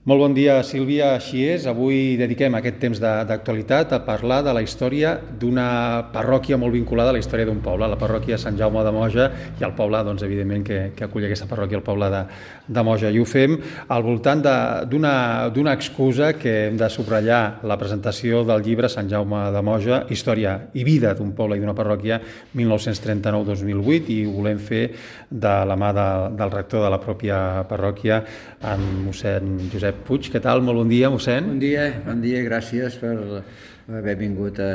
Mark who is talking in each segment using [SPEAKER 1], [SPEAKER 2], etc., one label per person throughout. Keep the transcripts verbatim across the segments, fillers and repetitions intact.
[SPEAKER 1] Molt bon dia, Sílvia. Així és, avui dediquem aquest temps d'actualitat a parlar de la història d'una parròquia molt vinculada a la història d'un poble, la parròquia Sant Jaume de Moja, i el poble, doncs, evidentment, que, que acull aquesta parròquia, el poble de, de Moja. I ho fem al voltant d'una excusa que hem de subratllar, la presentació del llibre Sant Jaume de Moja, història i vida d'un poble i d'una parròquia mil nou-cents trenta-nou a dos mil vuit, i ho volem fer de la mà de, del rector de la pròpia parròquia, en mossèn Josep Puig. Què tal? Molt bon dia, mossèn.
[SPEAKER 2] Bon dia, bon dia, gràcies per haver vingut a,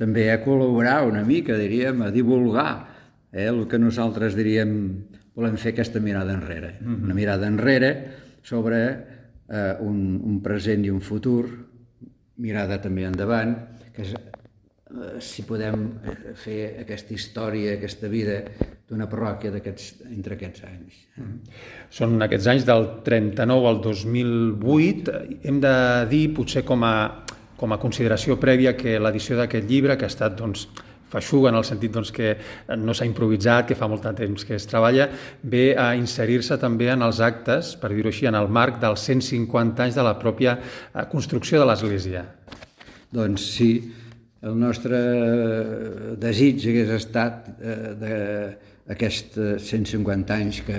[SPEAKER 2] també a col·laborar una mica, diríem, a divulgar eh, el que nosaltres diríem volem fer aquesta mirada enrere. Mm-hmm. Una mirada enrere sobre eh, un, un present i un futur, mirada també endavant, que és, eh, si podem fer aquesta història, aquesta vida d'una parròquia entre aquests anys.
[SPEAKER 1] Són aquests anys del trenta-nou al dos mil vuit. Hem de dir, potser com a, com a consideració prèvia, que l'edició d'aquest llibre, que ha estat doncs, feixuga en el sentit doncs, que no s'ha improvisat, que fa molt de temps que es treballa, ve a inserir-se també en els actes, per dir-ho així, en el marc dels cent cinquanta anys de la pròpia construcció de l'Església.
[SPEAKER 2] Doncs sí, el nostre desig hagués estat eh, de aquests cent cinquanta anys que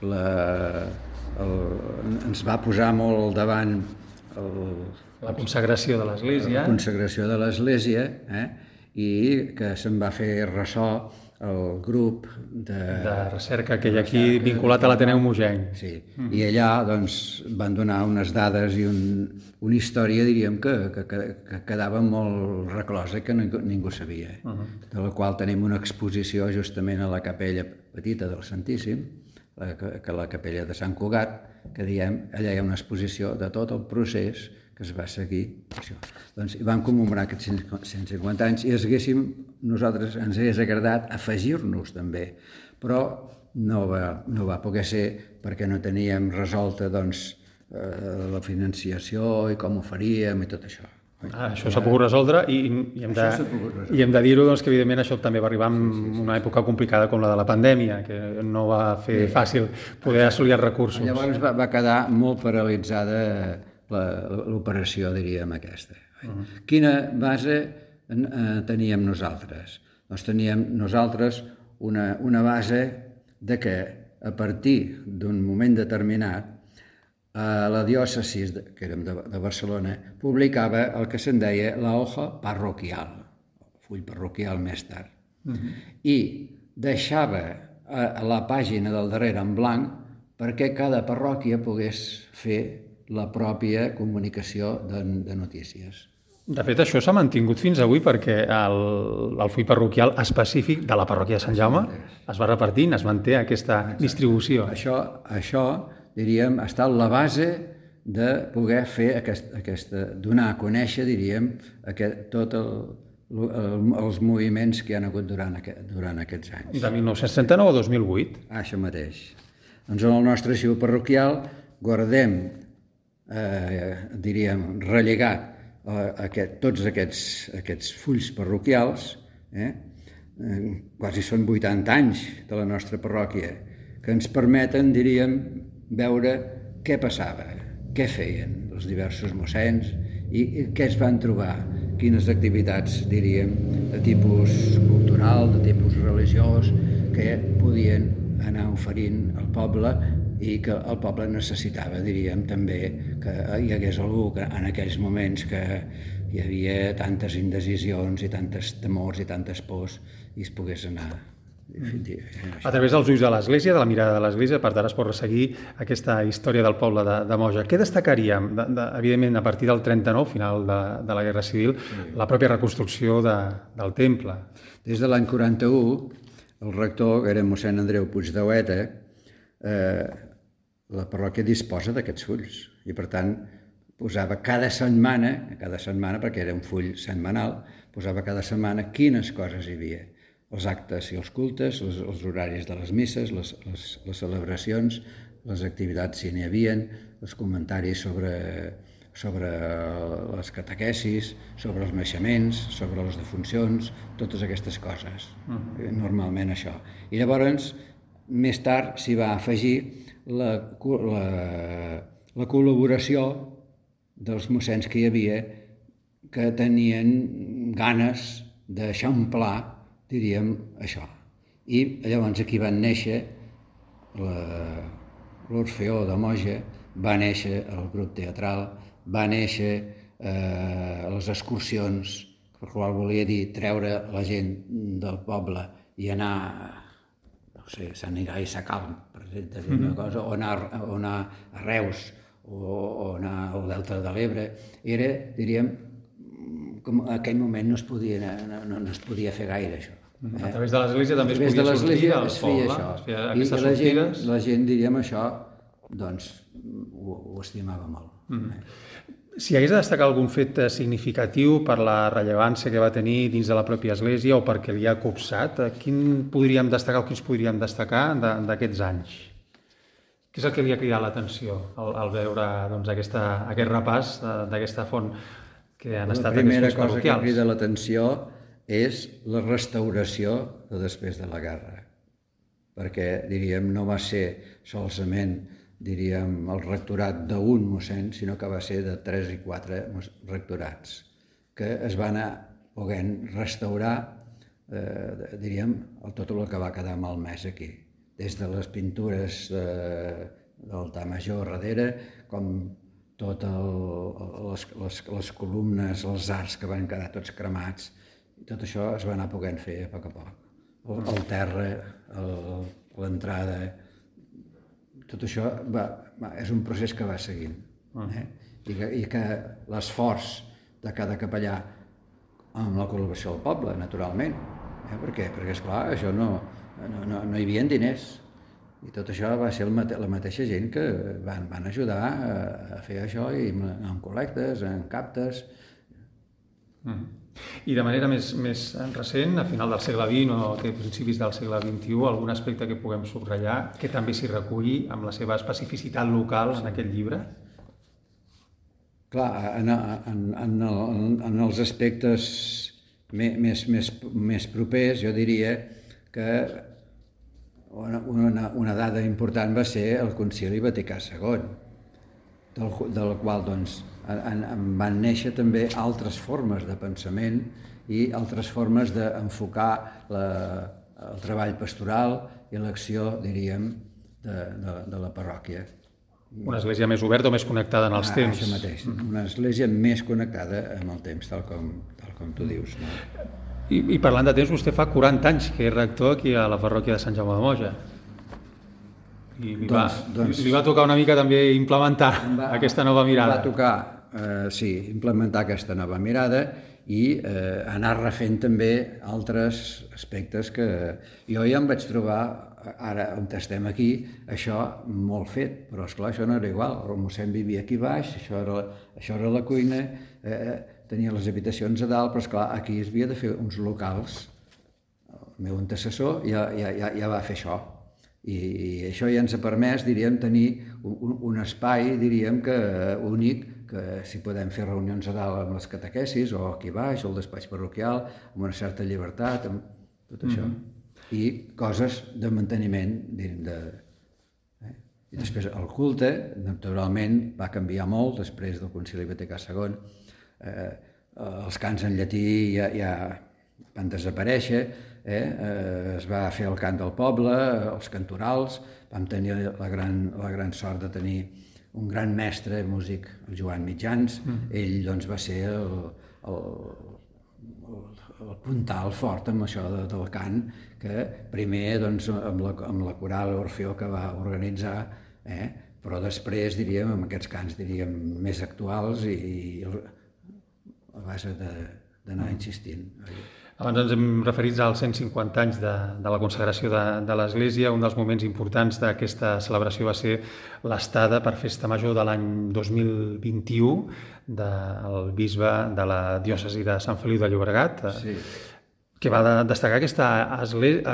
[SPEAKER 2] la, el, ens va posar molt al davant el,
[SPEAKER 1] la consagració de l'Església.
[SPEAKER 2] La consagració de l'Església, eh? I que se'n va fer ressò el grup de,
[SPEAKER 1] de recerca que hi ha aquí recerca, vinculat a l'Ateneu Mogenc.
[SPEAKER 2] Sí, mm. I allà doncs, van donar unes dades i un, una història, diríem, que, que, que quedava molt reclosa, que ningú, ningú sabia. Uh -huh. De la qual tenim una exposició justament a la capella petita del Santíssim, la, que la capella de Sant Cugat, que diem, allà hi ha una exposició de tot el procés que es va seguir. Això. Doncs hi vam commemorar aquests cent cinquanta anys i haguéssim, nosaltres ens hagués agradat afegir-nos també, però no va, no va poder ser perquè no teníem resolta doncs, eh, la financiació i com ho faríem i tot això.
[SPEAKER 1] Ah, això s'ha pogut resoldre i, i hem de, i hem de dir-ho doncs, que evidentment això també va arribar en sí, sí, sí. una època complicada com la de la pandèmia, que no va fer sí. fàcil poder assolir els recursos.
[SPEAKER 2] Llavors va, va quedar molt paralitzada l'operació, diríem, aquesta. Uh-huh. Quina base eh, teníem nosaltres? Doncs teníem nosaltres una, una base de que a partir d'un moment determinat eh, la diòcesi, que érem de, de Barcelona, publicava el que se'n deia la hoja parroquial, el full parroquial més tard, uh-huh. i deixava a, a la pàgina del darrere en blanc perquè cada parròquia pogués fer la pròpia comunicació de, de notícies.
[SPEAKER 1] De fet, això s'ha mantingut fins avui perquè el, el full parroquial específic de la parròquia de Sant Jaume es va repartint, es manté aquesta Exacte. distribució.
[SPEAKER 2] Això, això, diríem, ha estat la base de poder fer aquest, aquesta, donar a conèixer, diríem, aquest, tot el, el, els moviments que hi ha hagut durant, aquest, durant aquests anys.
[SPEAKER 1] De mil nou-cents trenta-nou a dos mil vuit.
[SPEAKER 2] Ah, això mateix. Doncs en el nostre arxiu parroquial guardem Eh, diríem, rellegat eh, aquest, tots aquests, aquests fulls parroquials, eh, eh, quasi són vuitanta anys de la nostra parròquia, que ens permeten, diríem, veure què passava, què feien els diversos mossens i, i què es van trobar, quines activitats, diríem, de tipus cultural, de tipus religiós, que podien anar oferint al poble i que el poble necessitava, diríem, també que hi hagués algú que en aquells moments que hi havia tantes indecisions i tantes temors i tantes pors i es pogués anar.
[SPEAKER 1] A través dels ulls de l'Església, de la mirada de l'Església, per tant es pot resseguir aquesta història del poble de, de Moja. Què destacaríem? De, de, evidentment, a partir del trenta-nou, final de, de la Guerra Civil, sí. la pròpia reconstrucció de, del temple.
[SPEAKER 2] Des de l'any quaranta-u, el rector, que era mossèn Andreu Puig de Hueta, eh, la parròquia disposa d'aquests fulls i, per tant, posava cada setmana, cada setmana, perquè era un full setmanal, posava cada setmana quines coses hi havia. Els actes i els cultes, els, els horaris de les misses, les, les, les celebracions, les activitats si n'hi havia, els comentaris sobre, sobre les catequesis, sobre els naixements, sobre les defuncions, totes aquestes coses. Uh-huh. Normalment això. I llavors, més tard s'hi va afegir la, la, la col·laboració dels mossens que hi havia que tenien ganes d'eixamplar, diríem, això. I llavors aquí van néixer l'Orfeó de Moja, va néixer el grup teatral, va néixer eh, les excursions, per qual volia dir treure la gent del poble i anar, no sé, Sant Irai Sacalm, per exemple, mm-hmm. una cosa, o anar, o anar a Reus, o, o anar al Delta de l'Ebre. Era, diríem, com en aquell moment no es podia, no, no, no es podia fer gaire això.
[SPEAKER 1] Eh? A través de l'església també es podia sortir al poble, es feia aquestes
[SPEAKER 2] sortides. I la
[SPEAKER 1] gent,
[SPEAKER 2] la gent, diríem, això, doncs, ho, ho estimava molt.
[SPEAKER 1] Mm. Eh? Si hagués de destacar algun fet significatiu per la rellevància que va tenir dins de la pròpia església o perquè li ha copsat, quin podríem destacar o quins podríem destacar d'aquests anys? Què és el que li ha cridat l'atenció al, al veure doncs, aquesta, aquest repàs d'aquesta font que han estat aquests
[SPEAKER 2] La primera
[SPEAKER 1] fons
[SPEAKER 2] cosa que
[SPEAKER 1] parroquials?
[SPEAKER 2] crida l'atenció és la restauració de després de la guerra, perquè, diríem, no va ser solament, diríem, el rectorat d'un mossèn, sinó que va ser de tres i quatre rectorats, que es van anar podent restaurar, eh, diríem, el, tot el que va quedar malmès aquí, des de les pintures de, de l'altar major darrere, com tot el, les, les, les columnes, els arcs que van quedar tots cremats, i tot això es va anar podent fer a poc a poc. El, el terra, l'entrada, tot això va, va, és un procés que va seguint. Eh? I que, i que l'esforç de cada capellà amb la col·laboració del poble, naturalment. Eh? Per què? Perquè, esclar, això no, no, no, no hi havia diners. I tot això va ser el mate, la mateixa gent que van, van ajudar a, a fer això, i amb col·lectes, en captes.
[SPEAKER 1] Mm. I de manera més, més recent, a final del segle vint o a principis del segle vint-i-u, algun aspecte que puguem subratllar que també s'hi reculli amb la seva especificitat local en aquest llibre?
[SPEAKER 2] Clar, en, en, en, el, en els aspectes més, més, més propers, jo diria que una, una, una dada important va ser el Concili Vaticà segon, del, del qual, doncs, En, en van néixer també altres formes de pensament i altres formes d'enfocar la, el treball pastoral i l'acció, diríem, de, de, de la parròquia.
[SPEAKER 1] Una església més oberta o més connectada en els
[SPEAKER 2] ah,
[SPEAKER 1] temps.
[SPEAKER 2] Això mateix, una església més connectada amb el temps, tal com, tal com tu dius. No?
[SPEAKER 1] I, I parlant de temps, vostè fa quaranta anys que és rector aquí a la parròquia de Sant Jaume de Moja. I li, doncs, va, doncs, li va tocar una mica també implementar va, aquesta nova mirada.
[SPEAKER 2] Va tocar, eh, sí, implementar aquesta nova mirada i eh, anar refent també altres aspectes que jo ja em vaig trobar, ara on estem aquí, això molt fet, però esclar, això no era igual. El mossèn vivia aquí baix, això era, això era la cuina, eh, tenia les habitacions a dalt, però esclar, aquí es havia de fer uns locals. El meu antecessor ja, ja, ja, ja va fer això. I això ja ens ha permès, diríem, tenir un, un espai, diríem, que únic, que si podem fer reunions a dalt amb les catequesis, o aquí baix, o el despatx parroquial, amb una certa llibertat, amb tot això. Mm-hmm. I coses de manteniment, diríem, de... Eh? I després el culte, naturalment, va canviar molt després del Concili Vaticà segon. Eh, els cants en llatí ja, ja van desaparèixer, Eh, eh, es va fer el cant del poble, els cantorals, vam tenir la gran, la gran sort de tenir un gran mestre músic, el Joan Mitjans. Mm. Ell doncs, va ser el, el, el, el puntal fort amb això de, del cant, que primer doncs, amb, la, amb la coral Orfeó que va organitzar, eh, però després, diríem, amb aquests cants diríem, més actuals i, i a base d'anar insistint.
[SPEAKER 1] Abans ens hem referit als cent cinquanta anys de, de la consagració de, de l'Església. Un dels moments importants d'aquesta celebració va ser l'estada per Festa Major de l'any dos mil vint-i-u del bisbe de la diòcesi de Sant Feliu de Llobregat, sí. que va destacar aquesta,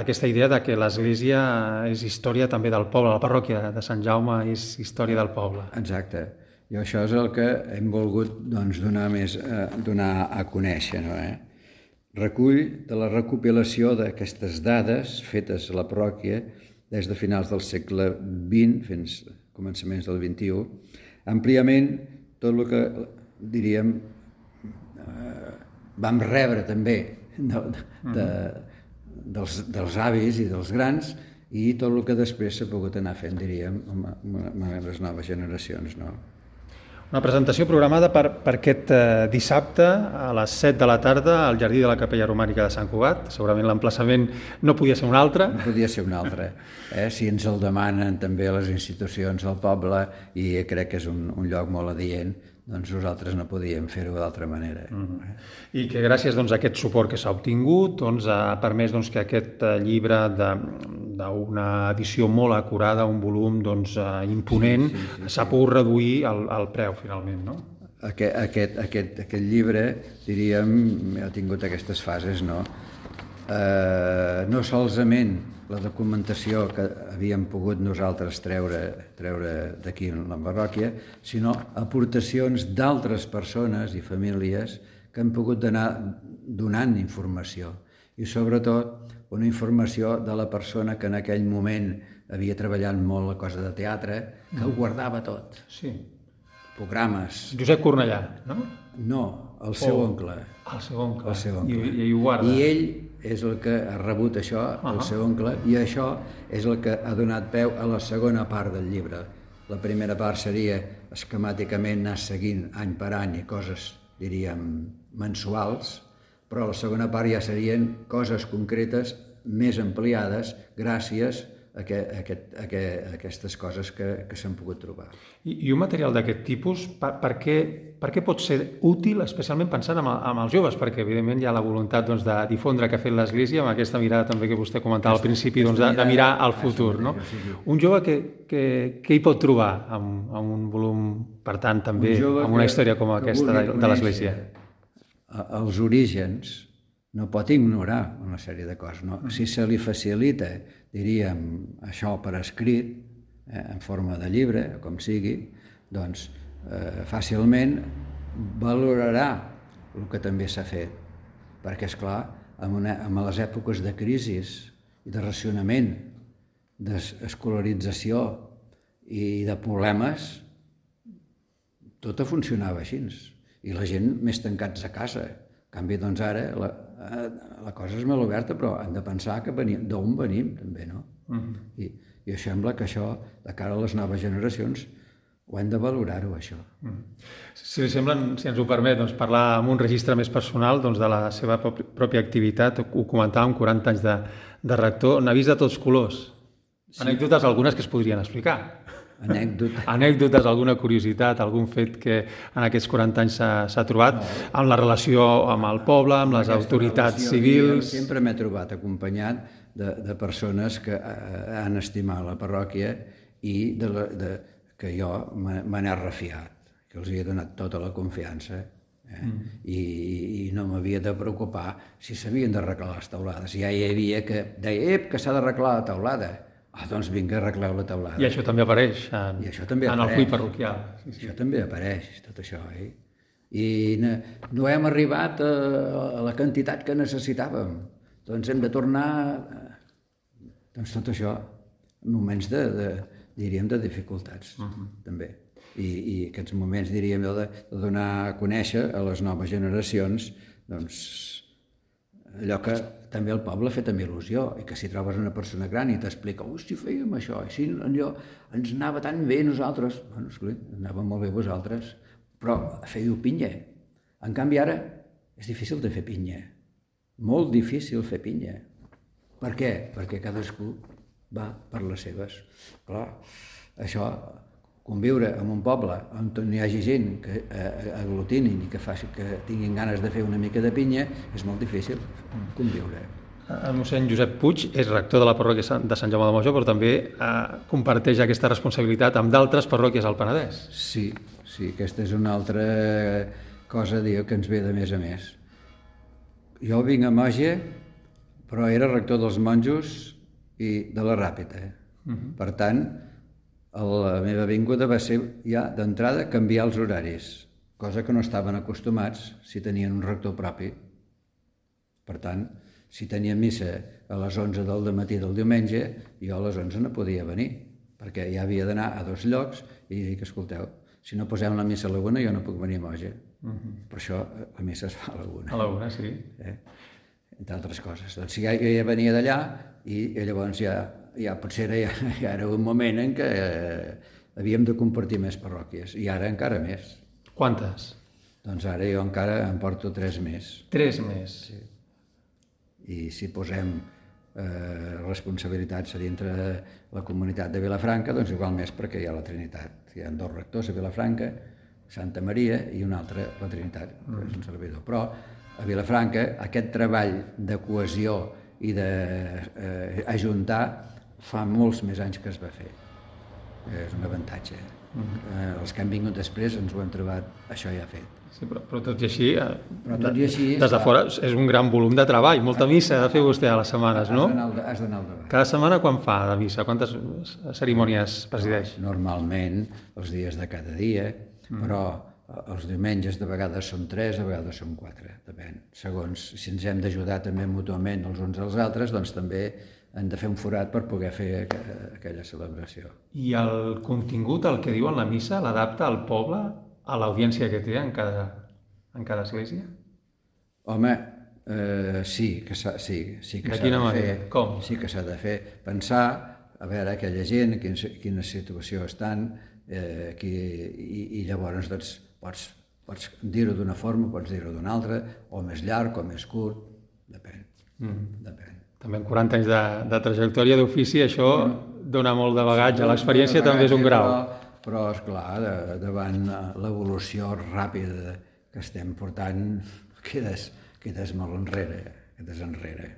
[SPEAKER 1] aquesta idea de que l'Església és història també del poble, la parròquia de Sant Jaume és història del poble.
[SPEAKER 2] Exacte. I això és el que hem volgut doncs, donar, més, eh, donar a conèixer, no, eh? Recull de la recopilació d'aquestes dades fetes a la parròquia des de finals del segle vint fins a començaments del vint-i-u, àmpliament tot el que, diríem, eh, vam rebre també de, de, dels, dels avis i dels grans, i tot el que després s'ha pogut anar fent, diríem, amb, amb les noves generacions, no?
[SPEAKER 1] Una presentació programada per, per aquest eh, dissabte a les set de la tarda al Jardí de la Capella Romànica de Sant Cugat. Segurament l'emplaçament no podia ser un altre.
[SPEAKER 2] No podia ser un altre. Eh? Si ens el demanen també les institucions del poble, i crec que és un, un lloc molt adient, doncs nosaltres no podíem fer-ho d'altra manera.
[SPEAKER 1] Mm-hmm. I que gràcies doncs, a aquest suport que s'ha obtingut doncs, ha permès doncs, que aquest llibre d'una edició molt acurada, un volum doncs, imponent, sí, sí, sí, s'ha sí. pogut reduir el, el preu finalment, no?
[SPEAKER 2] Aquest, aquest, aquest, aquest llibre, diríem, ha tingut aquestes fases, no? Eh, no solament la documentació que havíem pogut nosaltres treure, treure d'aquí en la parròquia, sinó aportacions d'altres persones i famílies que han pogut anar donant informació. I sobretot una informació de la persona que en aquell moment havia treballat molt la cosa de teatre, que ho guardava tot.
[SPEAKER 1] Sí.
[SPEAKER 2] Programes.
[SPEAKER 1] Josep Cornellà, no?
[SPEAKER 2] No, el seu
[SPEAKER 1] oh,
[SPEAKER 2] oncle.
[SPEAKER 1] El seu oncle.
[SPEAKER 2] El seu oncle.
[SPEAKER 1] I, i ho guarda.
[SPEAKER 2] I ell és el que ha rebut això, uh-huh. el seu oncle, i això és el que ha donat peu a la segona part del llibre. La primera part seria esquemàticament anar seguint any per any i coses, diríem, mensuals, però la segona part ja serien coses concretes més ampliades gràcies a, que, a, aquest, a, que, a aquestes coses que, que s'han pogut trobar.
[SPEAKER 1] I, i un material d'aquest tipus, per, per, què, per què pot ser útil, especialment pensant en, en els joves? Perquè, evidentment, hi ha la voluntat doncs, de difondre que ha fet l'Església, amb aquesta mirada també que vostè comentava al principi, doncs, de, de mirar al futur. No? Un jove que, que, que hi pot trobar amb, amb un volum, per tant, també amb una història com aquesta de, de l'Església?
[SPEAKER 2] Els orígens no pot ignorar una sèrie de coses. No? Si se li facilita, diríem, això per escrit, eh, en forma de llibre, com sigui, doncs eh, fàcilment valorarà el que també s'ha fet. Perquè, esclar, en, una, en les èpoques de crisi i de racionament, d'escolarització i de problemes, tot funcionava així. I la gent més tancats a casa. En canvi, doncs ara, la, la cosa és molt oberta, però hem de pensar que venim, d'on venim, també, no? Uh-huh. I, I sembla que això, de cara a les noves generacions, ho hem de valorar-ho, això.
[SPEAKER 1] Uh-huh. Si li sembla, si ens ho permet, doncs, parlar amb un registre més personal doncs, de la seva pròpia activitat, ho comentàvem, quaranta anys de, de rector, n'ha vist de tots colors. Sí. Anècdotes algunes que es podrien explicar.
[SPEAKER 2] Anècdota.
[SPEAKER 1] Anècdotes, alguna curiositat, algun fet que en aquests quaranta anys s'ha trobat no. en la relació amb el poble, amb les autoritats civils.
[SPEAKER 2] Sempre m'he trobat acompanyat de, de persones que han estimat la parròquia i de la, de, que jo me n'he refiat, que els he donat tota la confiança eh? mm. I, i no m'havia de preocupar si s'havien d'arreglar les teulades. Ja hi havia que deia, ep, que s'ha d'arreglar la teulada. Ah, doncs vinga, arregleu la teulada.
[SPEAKER 1] I això també apareix en,
[SPEAKER 2] I això també
[SPEAKER 1] en
[SPEAKER 2] apareix.
[SPEAKER 1] el full parroquial.
[SPEAKER 2] Sí, sí. Això també apareix, tot això. Eh? I no, no hem arribat a, a la quantitat que necessitàvem. Doncs hem de tornar... Doncs tot això, moments de, de diríem, de dificultats, uh-huh. també. I, I aquests moments, diríem, de, de donar a conèixer a les noves generacions, doncs, allò que també el poble ha fet amb il·lusió, i que si trobes una persona gran i t'explica, oh, si fèiem això, i si allò ens anava tan bé nosaltres, bueno, esclar, anava molt bé vosaltres, però fèieu pinya. En canvi ara és difícil de fer pinya, molt difícil fer pinya. Per què? Perquè cadascú va per les seves. Clar, això, conviure en un poble on hi hagi gent que aglutinin i que, faci, que tinguin ganes de fer una mica de pinya, és molt difícil conviure.
[SPEAKER 1] El mossèn Josep Puig és rector de la parròquia de Sant Jaume de Moja, però també eh, comparteix aquesta responsabilitat amb d'altres parròquies al Penedès.
[SPEAKER 2] Sí, sí, aquesta és una altra cosa, diu, que ens ve de més a més. Jo vinc a Moja, però era rector dels monjos i de la Ràpita. Uh-huh. Per tant, la meva vinguda va ser ja d'entrada canviar els horaris, cosa que no estaven acostumats si tenien un rector propi. Per tant, si tenia missa a les onze del matí del diumenge, jo a les onze no podia venir, perquè ja havia d'anar a dos llocs i dic, escolteu, Si no posem la missa a la una, jo no puc venir a Moja. Per això la missa es fa a la una.
[SPEAKER 1] A la una, sí.
[SPEAKER 2] Eh? Entre altres coses. Doncs ja, ja venia d'allà i llavors ja, ja potser era, ja, ja era un moment en què eh, havíem de compartir més parròquies, i ara encara més.
[SPEAKER 1] Quantes?
[SPEAKER 2] Doncs ara jo encara em porto tres més.
[SPEAKER 1] Tres més.
[SPEAKER 2] Sí. I si posem eh, responsabilitats a dintre de la comunitat de Vilafranca, doncs igual més perquè hi ha la Trinitat. Hi ha dos rectors a Vilafranca, Santa Maria i un altre, la Trinitat, que és un servidor. Però a Vilafranca aquest treball de cohesió i d'ajuntar eh, fa molts més anys que es va fer. És un avantatge. Eh, els que han vingut després ens ho hem trobat, això ja fet.
[SPEAKER 1] Sí, però, però tot i així,
[SPEAKER 2] però tot i així
[SPEAKER 1] des de fora és un gran volum de treball, molta missa ha de fer vostè a les setmanes, no?
[SPEAKER 2] Has d'anar al davant.
[SPEAKER 1] Cada setmana quan fa de missa? Quantes cerimònies presideix?
[SPEAKER 2] Normalment, els dies de cada dia, però els diumenges de vegades són tres, de vegades són quatre, depèn. Segons, si ens hem d'ajudar també mútuament els uns als altres, doncs també hem de fer un forat per poder fer aquella celebració.
[SPEAKER 1] I el contingut, el que diu en la missa, l'adapta al poble, a l'audiència que té en cada, en cada església?
[SPEAKER 2] Home, eh, sí que s'ha sí, sí que
[SPEAKER 1] de quina
[SPEAKER 2] de
[SPEAKER 1] manera?
[SPEAKER 2] fer,
[SPEAKER 1] Com?
[SPEAKER 2] Sí que s'ha de fer pensar, a veure aquella gent, en quina, quina situació estan, eh, qui, i, i llavors doncs, pots, pots dir-ho d'una forma, pots dir-ho d'una altra, o més llarg o més curt, depèn. Mm. depèn.
[SPEAKER 1] També en quaranta anys de, de trajectòria d'ofici això dona molt de bagatge, l'experiència també és un grau.
[SPEAKER 2] Però, però esclar, de, davant l'evolució ràpida que estem portant, quedes, quedes molt enrere, quedes enrere.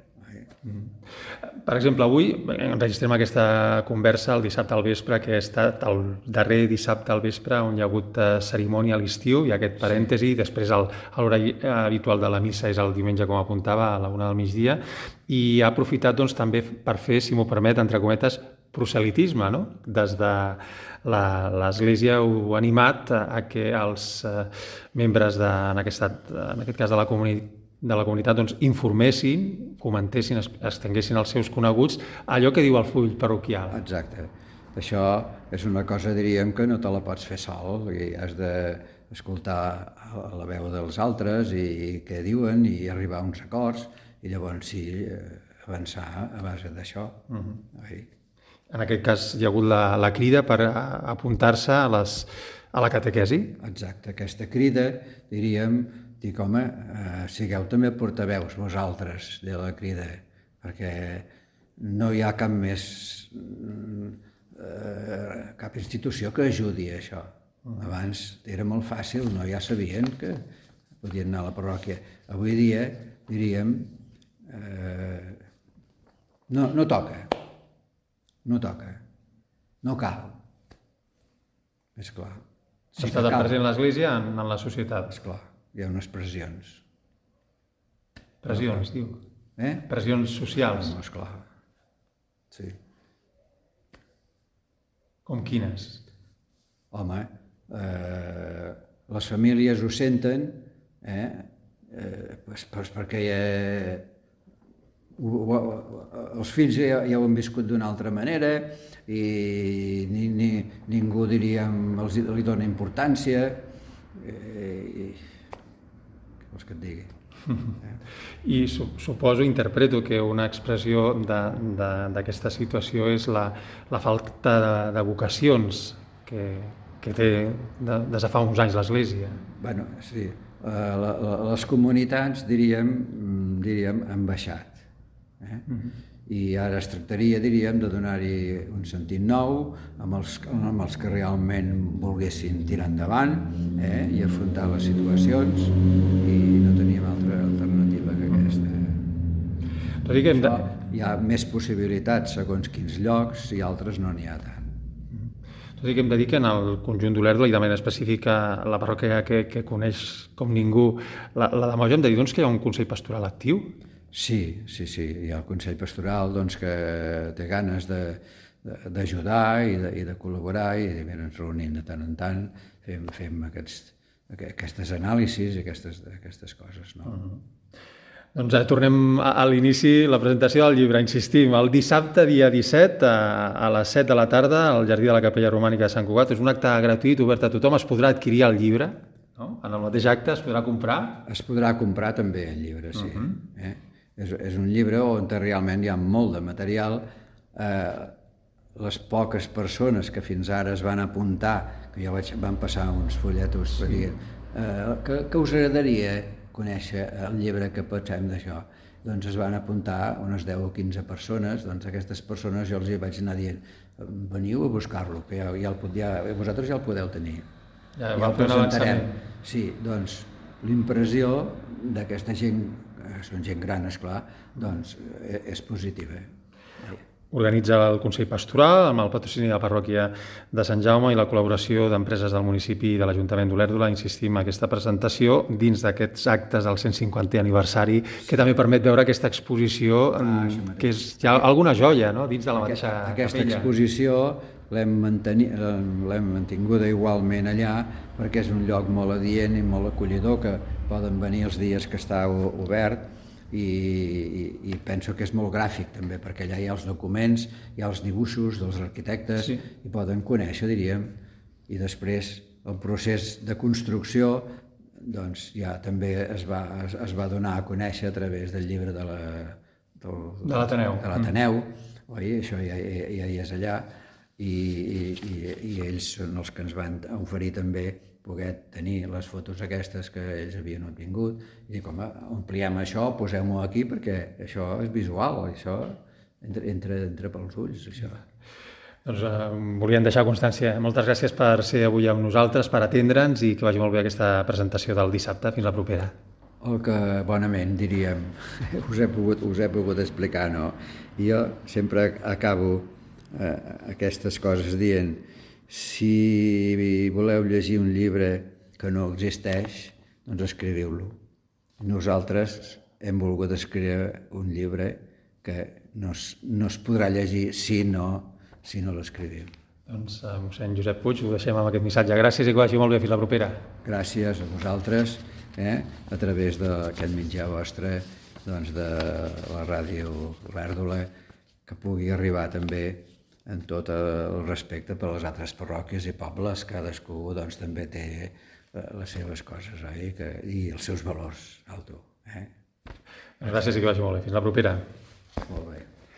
[SPEAKER 1] Per exemple, avui enregistrem aquesta conversa el dissabte al vespre, que ha estat el darrer dissabte al vespre on hi ha hagut cerimònia a l'estiu, i aquest parèntesi, sí. Després l'horari habitual de la missa és el diumenge, com apuntava, a la una del migdia, i ha aprofitat doncs, també per fer, si m'ho permet, entre cometes, proselitisme, no? Des de l'Església heu animat a que els membres, de, en, aquest, en aquest cas de la comunitat, de la comunitat doncs, informessin, comentessin, estenguessin els seus coneguts allò que diu el full parroquial.
[SPEAKER 2] Exacte. Això és una cosa, diríem, que no te la pots fer sol, i has d'escoltar la veu dels altres i què diuen i arribar a uns acords, i llavors sí, avançar a base d'això. Uh-huh.
[SPEAKER 1] En aquest cas hi ha hagut la, la crida per apuntar-se a, les, a la catequesi?
[SPEAKER 2] Exacte, aquesta crida, diríem, dic, home, eh, sigueu també portaveus vosaltres de la crida, perquè no hi ha cap més, eh, cap institució que ajudi a això. Abans era molt fàcil, no? Ja sabien que podien anar a la parròquia. Avui dia, diríem, eh, no, no toca, no toca, no cal. És clar.
[SPEAKER 1] Sí, està de present l'Església en, en la societat.
[SPEAKER 2] És clar. Hi ha unes pressions.
[SPEAKER 1] Pressions, diu?
[SPEAKER 2] Eh?
[SPEAKER 1] Pressions socials.
[SPEAKER 2] No, esclar. Sí.
[SPEAKER 1] Com quines?
[SPEAKER 2] Home, eh, les famílies ho senten, eh? Eh, pues, pues perquè eh, ho, ho, els fills ja, ja ho han viscut d'una altra manera i ni, ni, ningú, diríem, els, li dona importància. Eh, vols que et digui? Eh?
[SPEAKER 1] I su suposo, interpreto, que una expressió d'aquesta situació és la, la falta de, de vocacions que, que té de, des de fa uns anys l'Església.
[SPEAKER 2] Bueno, sí. La, la, les comunitats, diríem, diríem han baixat. Eh? Uh-huh. I ara es tractaria, diríem, de donar-hi un sentit nou amb els, amb els que realment volguessin tirar endavant, eh? I afrontar les situacions, i no teníem altra alternativa que aquesta.
[SPEAKER 1] Tot i que hem de...
[SPEAKER 2] Hi ha més possibilitats segons quins llocs i altres no n'hi ha tant.
[SPEAKER 1] Tot i que hem de dir que en el conjunt d'Olèrdola i de manera específica la parròquia que, que coneix com ningú, la, la de Moja, hem de dir doncs, que hi ha un Consell Pastoral actiu?
[SPEAKER 2] Sí, sí, sí. Hi ha el Consell Pastoral doncs, que té ganes d'ajudar i, de, i de col·laborar, i ens reunim de tant en tant, fem, fem aquests, aquestes anàlisis i aquestes, aquestes coses. No? Uh-huh.
[SPEAKER 1] Doncs eh, tornem a, a l'inici, la presentació del llibre. Insistim, el dissabte, dia disset, a, a les set de la tarda, al Jardí de la Capella Romànica de Sant Cugat. És un acte gratuït, obert a tothom. Es podrà adquirir el llibre, no? En el mateix acte es podrà comprar.
[SPEAKER 2] Es podrà comprar també el llibre, sí. Uh -huh. eh? és, és un llibre on realment hi ha molt de material. Eh, les poques persones que fins ara es van apuntar, que jo vaig, van passar uns fulletos per dir eh, que, que us agradaria conèixer el llibre que pensem d'això. Doncs es van apuntar unes deu o quinze persones, doncs aquestes persones jo els hi vaig anar dient veniu a buscar-lo, que ja, ja, el, ja, vosaltres ja el podeu tenir.
[SPEAKER 1] Ja, ja el presentarem.
[SPEAKER 2] Sí, doncs l'impressió d'aquesta gent, són gent gran, esclar, doncs és positiva.
[SPEAKER 1] Organitza el Consell Pastoral amb el patrocini de la parròquia de Sant Jaume i la col·laboració d'empreses del municipi i de l'Ajuntament d'Olèrdola. Insistim, aquesta presentació dins d'aquests actes del cent cinquantè aniversari, que també permet veure aquesta exposició, ah, que és ja alguna joia, no?, dins de la mateixa
[SPEAKER 2] aquesta, aquesta
[SPEAKER 1] capella.
[SPEAKER 2] Exposició l'hem mantinguda igualment allà perquè és un lloc molt adient i molt acollidor, que poden venir els dies que està obert. I, i, i penso que és molt gràfic també, perquè allà hi ha els documents, hi ha els dibuixos dels arquitectes, sí. I poden conèixer, diríem, i després el procés de construcció doncs ja també es va, es, es va donar a conèixer a través del llibre de la, del,
[SPEAKER 1] de l'Ateneu,
[SPEAKER 2] de l'Ateneu, mm. oi? Això ja, ja, ja hi és allà, i, i, i ells són els que ens van oferir també poder tenir les fotos aquestes que ells havien obtingut i dir, com, ampliem això, posem-ho aquí perquè això és visual, això entra, entra, entra pels ulls, això.
[SPEAKER 1] Doncs eh, volíem deixar constància. Moltes gràcies per ser avui amb nosaltres, per atendre'ns i que vagi molt bé aquesta presentació del dissabte. Fins la propera.
[SPEAKER 2] El que bonament diríem, us he pogut, us he pogut explicar, no? Jo sempre acabo eh, aquestes coses dient si voleu llegir un llibre que no existeix, doncs escriviu-lo. Nosaltres hem volgut escriure un llibre que no es, no es podrà llegir si no, si no l'escriviu.
[SPEAKER 1] Doncs, eh, mossèn Josep Puig, ho deixem amb aquest missatge. Gràcies i que vagi molt bé. Fins la propera.
[SPEAKER 2] Gràcies a vosaltres, eh, a través d'aquest mitjà vostre, doncs de la ràdio Olèrdola, que pugui arribar també en tot el respecte per les altres parròquies i pobles. Cadascú doncs, també té les seves coses, oi? Que, i els seus valors, alto. Eh?
[SPEAKER 1] Gràcies i que vagi molt bé. Fins la propera.
[SPEAKER 2] Molt bé.